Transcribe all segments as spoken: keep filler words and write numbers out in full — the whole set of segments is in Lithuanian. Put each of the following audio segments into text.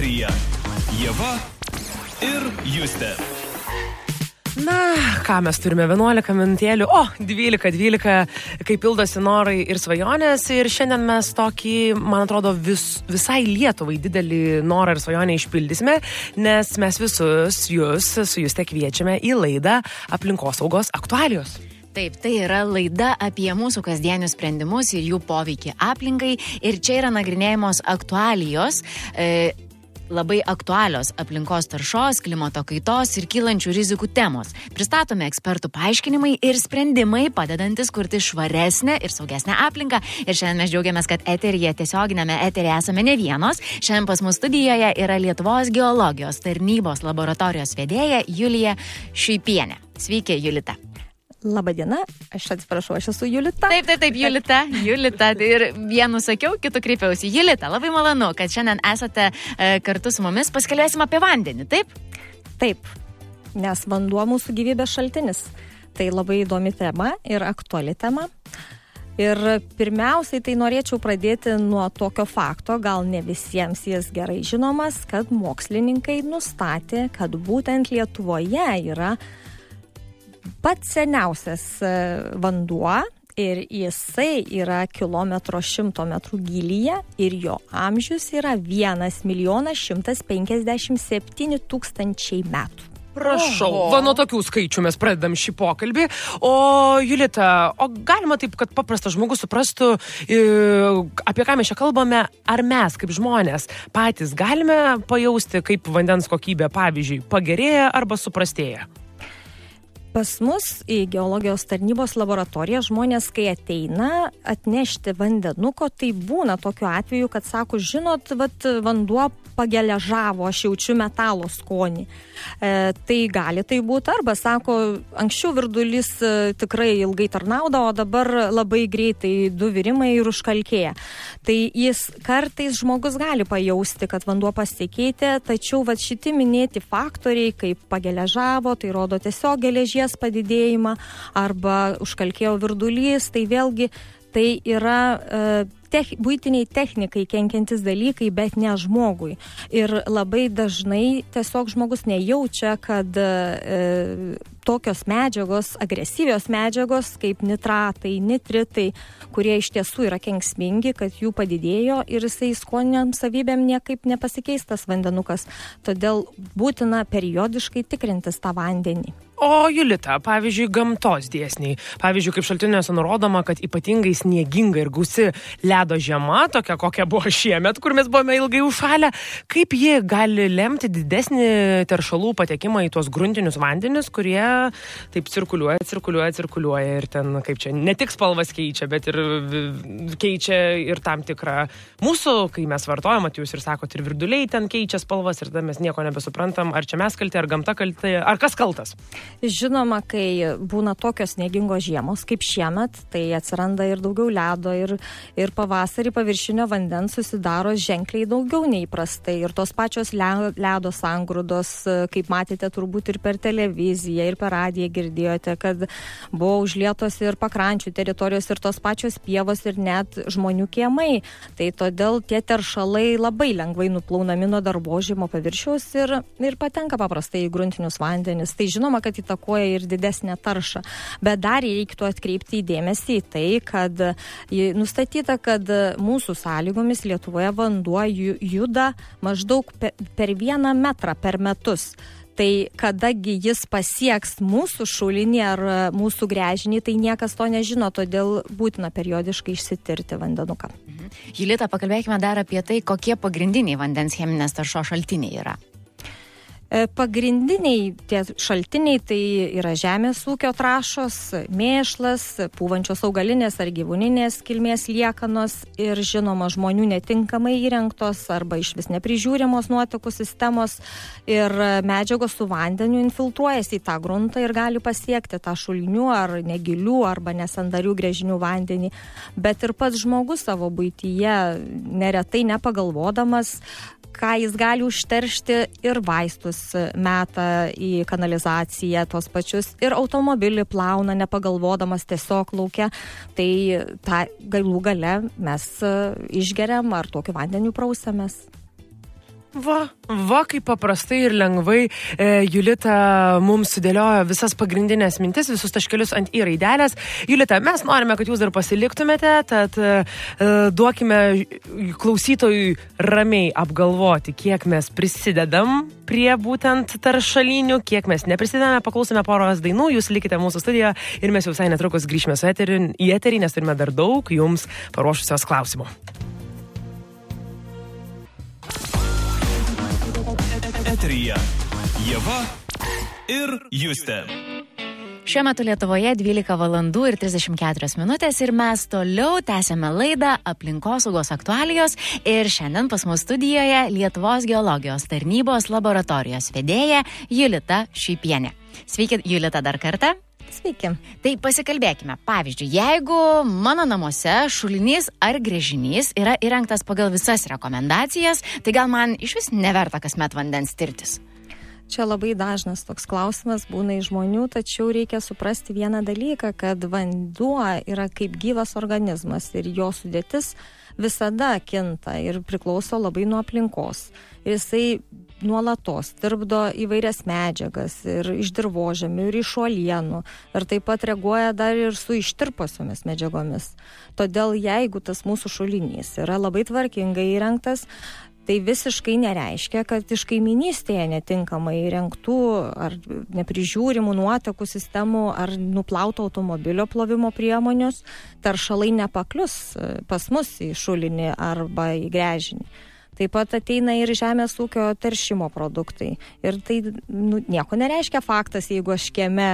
eteryje Ieva ir Justė. Na, ką mes turime, vienuolika minutėlių, o, dvylika, dvylika, kai pildosi norai ir svajonės. Ir šiandien mes tokį, man atrodo, vis, visai Lietuvai didelį norą ir svajonę išpildysime, nes mes visus jūs su Juste kviečiame į laidą Aplinkosaugos aktualijos. Taip, tai yra laida apie mūsų kasdienius sprendimus ir jų poveikį aplinkai. Ir čia yra nagrinėjamos aktualijos, e, labai aktualios aplinkos taršos, klimato kaitos ir kylančių rizikų temos. Pristatome ekspertų paaiškinimai ir sprendimai, padedantis kurti švaresnę ir saugesnę aplinką. Ir šiandien mes džiaugiamės, kad eteryje, tiesioginėme eteryje esame ne vienos. Šiandien pas mus studijoje yra Lietuvos geologijos tarnybos laboratorijos vedėja Julija Šiuipienė. Sveiki, Julita. Labadiena, aš atsiprašau, aš esu Julita. Taip, taip, taip, Julita, Julita. Ir vienu sakiau, kitu kreipiausi. Julita, labai malonu, kad šiandien esate e, kartu su mumis. Paskelbėsim apie vandenį, taip? Taip, nes vanduo mūsų gyvybės šaltinis. Tai labai įdomi tema ir aktuali tema. Ir pirmiausiai tai norėčiau pradėti nuo tokio fakto, gal ne visiems jis gerai žinomas, kad mokslininkai nustatė, kad būtent Lietuvoje yra pats seniausias vanduo ir jisai yra kilometro šimto metrų gylyje ir jo amžius yra vienas milijonas šimtas penkiasdešimt septyni tūkstančiai metų. Prašau, Oho. va nuo tokių skaičių mes pradedam šį pokalbį. O Julita, o galima taip, kad paprastas žmogus suprastų, apie ką mes čia kalbame, ar mes kaip žmonės patys galime pajausti, kaip vandens kokybė, pavyzdžiui, pagerėja arba suprastėja? Pas mus į geologijos tarnybos laboratoriją žmonės, kai ateina atnešti vandenuko, tai būna tokiu atveju, kad sako, žinot, vat, vanduo pageležavo, aš jaučiu metalo skonį. E, tai gali tai būti, arba sako, anksčiau virdulys e, tikrai ilgai tarnaudavo, o dabar labai greitai du virimai ir užkalkėja. Tai jis kartais žmogus gali pajausti, kad vanduo pasikeitė, tačiau vat, šiti minėti faktoriai, kaip pageležavo, tai rodo tiesiog geležies padidėjimą, arba užkalkėjo virdulys, tai vėlgi tai yra e, tech, buitiniai technikai kenkiantis dalykai, bet ne žmogui. Ir labai dažnai tiesiog žmogus nejaučia, kad e, tokios medžiagos, agresyvios medžiagos, kaip nitratai, nitritai, kurie iš tiesų yra kenksmingi, kad jų padidėjo ir jisai skoniniam savybėm niekaip nepasikeis tas vandenukas. Todėl būtina periodiškai tikrintis tą vandenį. O Julita, pavyzdžiui, gamtos dėsniai. Pavyzdžiui, kaip šaltiniuose nurodoma, kad ypatingai snieginga ir gausi ledo žiema, tokia kokia buvo šiemet, kur mes buvome ilgai užšalę, kaip ji gali lemti didesnį teršalų patekimą į tuos gruntinius vandenis, kurie taip cirkuliuoja, cirkuliuoja, cirkuliuoja ir ten, kaip čia, ne tik spalvas keičia, bet ir keičia ir tam tikrą mūsų, kai mes vartojam, jūs ir sakot, ir virduliai ten keičia spalvas ir tada mes nieko nebesuprantam, ar čia mes kalti, ar gamta kalti, ar kas kaltas. Žinoma, kai būna tokios sniegingos žiemos kaip šiemet, tai atsiranda ir daugiau ledo ir, ir pavasarį paviršinio vandens susidaro ženkliai daugiau neįprastai. Ir tos pačios ledo sangrūdos, kaip matėte turbūt ir per televiziją, ir per radiją girdėjote, kad buvo užlietos ir pakrančių teritorijos, ir tos pačios pievos, ir net žmonių kiemai. Tai todėl tie teršalai labai lengvai nuplaunami nuo dirvožemio paviršiaus ir, ir patenka paprastai į gruntinius vandenis. Tai žinoma, kad įtakoja ir didesnę taršą. Bet dar reiktų atkreipti dėmesį į tai, kad nustatyta, kad mūsų sąlygomis Lietuvoje vanduo juda maždaug per vieną metrą per metus. Tai kadagi jis pasieks mūsų šulinį ar mūsų gręžinį, tai niekas to nežino, todėl būtina periodiškai išsitirti vandenuką. Mhm. Julita, pakalbėkime dar apie tai, kokie pagrindiniai vandens cheminės taršos šaltiniai yra. Pagrindiniai tie šaltiniai tai yra žemės ūkio trąšos, mėšlas, pūvančios augalinės ar gyvūninės kilmės liekanos ir žinoma žmonių netinkamai įrengtos arba išvis neprižiūrimos nuotekų sistemos ir medžiagos su vandeniu infiltruojasi į tą gruntą ir gali pasiekti tą šulinių ar negilių arba nesandarių gręžinių vandenį. Bet ir pats žmogus savo buityje neretai nepagalvodamas, ką jis gali užteršti, ir vaistus meta į kanalizaciją tos pačius, ir automobilį plauna nepagalvodamas tiesiog lauke. Tai tą galų gale mes išgeriam ar tokiu vandeniu prausiamės. Va, va, kaip paprastai ir lengvai e, Julita mums sudėliojo visas pagrindinės mintis, visus taškelius ant į raidelės. Julita, mes norime, kad jūs dar pasiliktumėte, tad e, duokime klausytojui ramiai apgalvoti, kiek mes prisidedam prie būtent taršalinių, kiek mes neprisidedame. Paklausome poros dainų, jūs likite mūsų studijoje ir mes jau visai netrukus grįšime su eterį, į eterį, nes turime dar daug jums paruošusios klausimų. Eteryje Ieva ir Justė. Šiuo metu Lietuvoje dvylika valandų ir trisdešimt keturios minutės ir mes toliau tęsiame laidą Aplinkosaugos aktualijos ir šiandien pas mus studijoje Lietuvos geologijos tarnybos laboratorijos vedėja Julita Šypienė. Sveiki, Julita, dar kartą. Sveiki. Tai pasikalbėkime. Pavyzdžiui, jeigu mano namuose šulinys ar gręžinys yra įrengtas pagal visas rekomendacijas, tai gal man iš vis neverta kasmet vandens tirtis? Čia labai dažnas toks klausimas būna iš žmonių, tačiau reikia suprasti vieną dalyką, kad vanduo yra kaip gyvas organizmas ir jo sudėtis visada kinta ir priklauso labai nuo aplinkos. Ir jisai nuolatos tirpdo įvairias medžiagas ir iš dirvožemių, ir iš uolienų, ir taip pat reaguoja dar ir su ištirposiomis medžiagomis. Todėl jeigu tas mūsų šulinys yra labai tvarkingai įrengtas, tai visiškai nereiškia, kad iš kaiminystėje netinkamai įrengtų ar neprižiūrimų nuotekų sistemų ar nuplauto automobilio plovimo priemonius taršalai nepaklius pas mus į šulinį arba į gręžinį. Taip pat ateina ir žemės ūkio teršimo produktai. Ir tai nu, nieko nereiškia faktas, jeigu aš kieme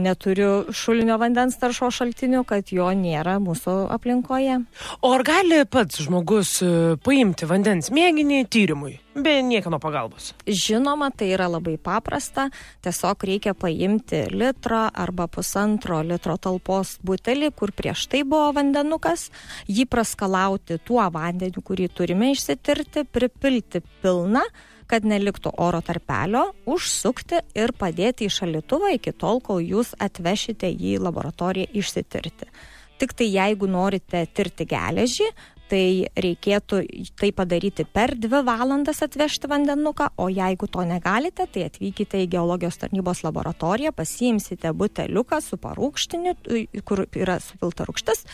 neturiu šulinio vandens taršos šaltinių, kad jo nėra mūsų aplinkoje. O ar gali pats žmogus paimti vandens mėginį tyrimui, be niekieno pagalbos? Žinoma, tai yra labai paprasta. Tiesiog reikia paimti litro arba pusantro litro talpos butelį, kur prieš tai buvo vandenukas, jį praskalauti tuo vandeniu, kurį turime išsitirti, pripilti pilną, kad neliktų oro tarpelio, užsukti ir padėti į šaldytuvą iki tol, kol jūs atvešite jį į laboratoriją išsitirti. Tik tai jeigu norite tirti geležį, tai reikėtų tai padaryti per dvi valandas atvežti vandenuką, o jeigu to negalite, tai atvykite į geologijos tarnybos laboratoriją, pasiimsite buteliuką su parūkštiniu, kur yra supilta rūgštis,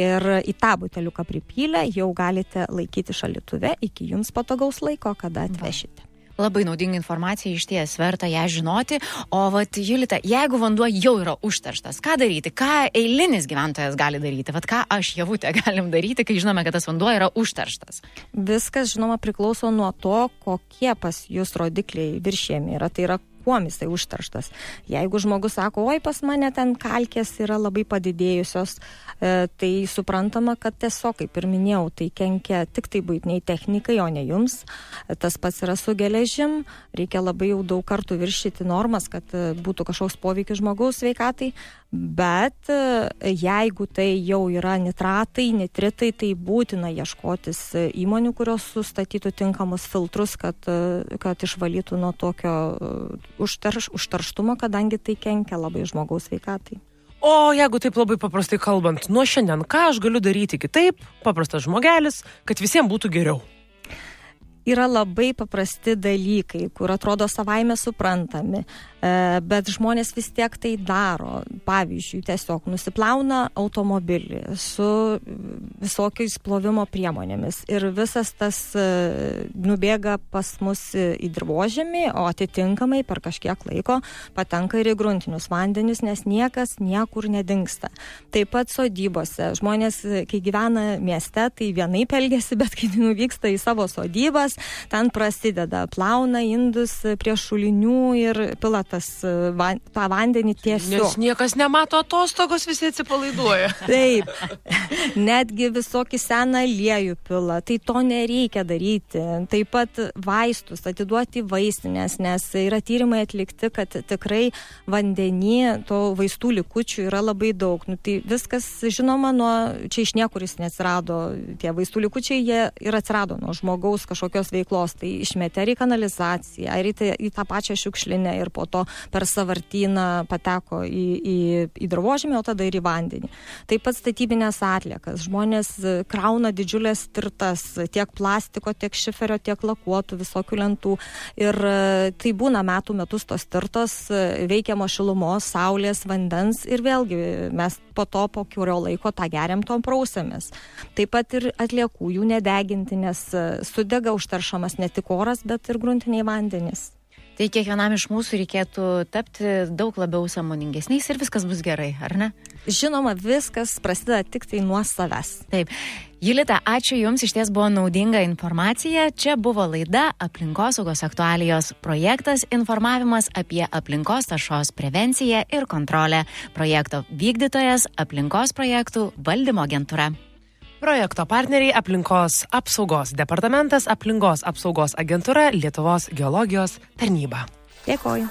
ir į tą buteliuką pripylę jau galite laikyti šaldytuve iki jums patogaus laiko, kada atvešite. Labai naudinga informacija, iš ties verta ją žinoti. O vat, Julita, jeigu vanduo jau yra užterštas, ką daryti? Ką eilinis gyventojas gali daryti? Vat ką aš, Javutė, galim daryti, kai žinome, kad tas vanduo yra užterštas? Viskas, žinoma, priklauso nuo to, kokie pas jūs rodikliai viršėjami yra. Tai yra kuom jisai užterštas. Jeigu žmogus sako, oi, pas mane ten kalkės yra labai padidėjusios, e, tai suprantama, kad tiesiog, kaip ir minėjau, tai kenkia tik tai buitiniai technikai, o ne jums. Tas pats yra su geležim. Reikia labai jau daug kartų viršyti normas, kad būtų kažkoks poveikis žmogaus sveikatai. Bet jeigu tai jau yra nitratai, nitritai, tai būtina ieškotis įmonių, kurios sustatytų tinkamus filtrus, kad, kad išvalytų nuo tokio užterš, užterštumo, kadangi tai kenkia labai žmogaus sveikatai. O jeigu taip labai paprastai kalbant, nuo šiandien ką aš galiu daryti kitaip, paprastas žmogelis, kad visiems būtų geriau? Yra labai paprasti dalykai, kur atrodo savaime suprantami, bet žmonės vis tiek tai daro. Pavyzdžiui, tiesiog nusiplauna automobilį su visokiais plovimo priemonėmis ir visas tas nubėga pas mus į dirvožemį, o atitinkamai per kažkiek laiko patenka ir į gruntinius vandenis, nes niekas niekur nedingsta. Taip pat sodybose. Žmonės, kai gyvena mieste, tai vienaip elgiasi, bet kai nuvyksta į savo sodybas, ten prasideda, plauna indus prie šulinių ir pila tas van, tą vandenį tiesiog. Nes niekas nemato atostogos, visi atsipalaiduoja. Taip, netgi visokį seną aliejų pila, tai to nereikia daryti. Taip pat vaistus atiduoti vaistinės, nes yra tyrimai atlikti, kad tikrai vandenį to vaistų likučių yra labai daug. Nu, tai viskas, žinoma, nuo, čia iš niekur jis neatsirado, tie vaistų likučiai, jie ir atsirado nuo žmogaus kažkokios kažkokios veiklos, tai išmetė į kanalizaciją, ar į, tai, į tą pačią šiukšlinę ir po to per savartyną pateko į, į, į dirvožemį, o tada ir į vandenį. Taip pat statybinės atliekas. Žmonės krauna didžiulės tirtas, tiek plastiko, tiek šiferio, tiek lakuotų, visokių lentų. Ir tai būna metų metus tos tirtos, veikiamo šilumos, saulės, vandens ir vėlgi mes po to, po kurio laiko tą geriam, tom prausėmės. Taip pat ir atliekų jų nedeginti, nes sudega užteršamas ne tik oras, bet ir gruntiniai vandenys. Tai kiekvienam iš mūsų reikėtų tapti daug labiau sąmoningesniais ir viskas bus gerai, ar ne? Žinoma, viskas prasideda tik tai nuo savęs. Taip. Julita, ačiū Jums, iš ties buvo naudinga informacija. Čia buvo laida Aplinkosaugos aktualijos projektas informavimas apie aplinkos taršos prevenciją ir kontrolę. Projekto vykdytojas Aplinkos projektų valdymo agentūra. Projekto partneriai Aplinkos apsaugos departamentas, Aplinkos apsaugos agentūra, Lietuvos geologijos tarnyba. Dėkoju.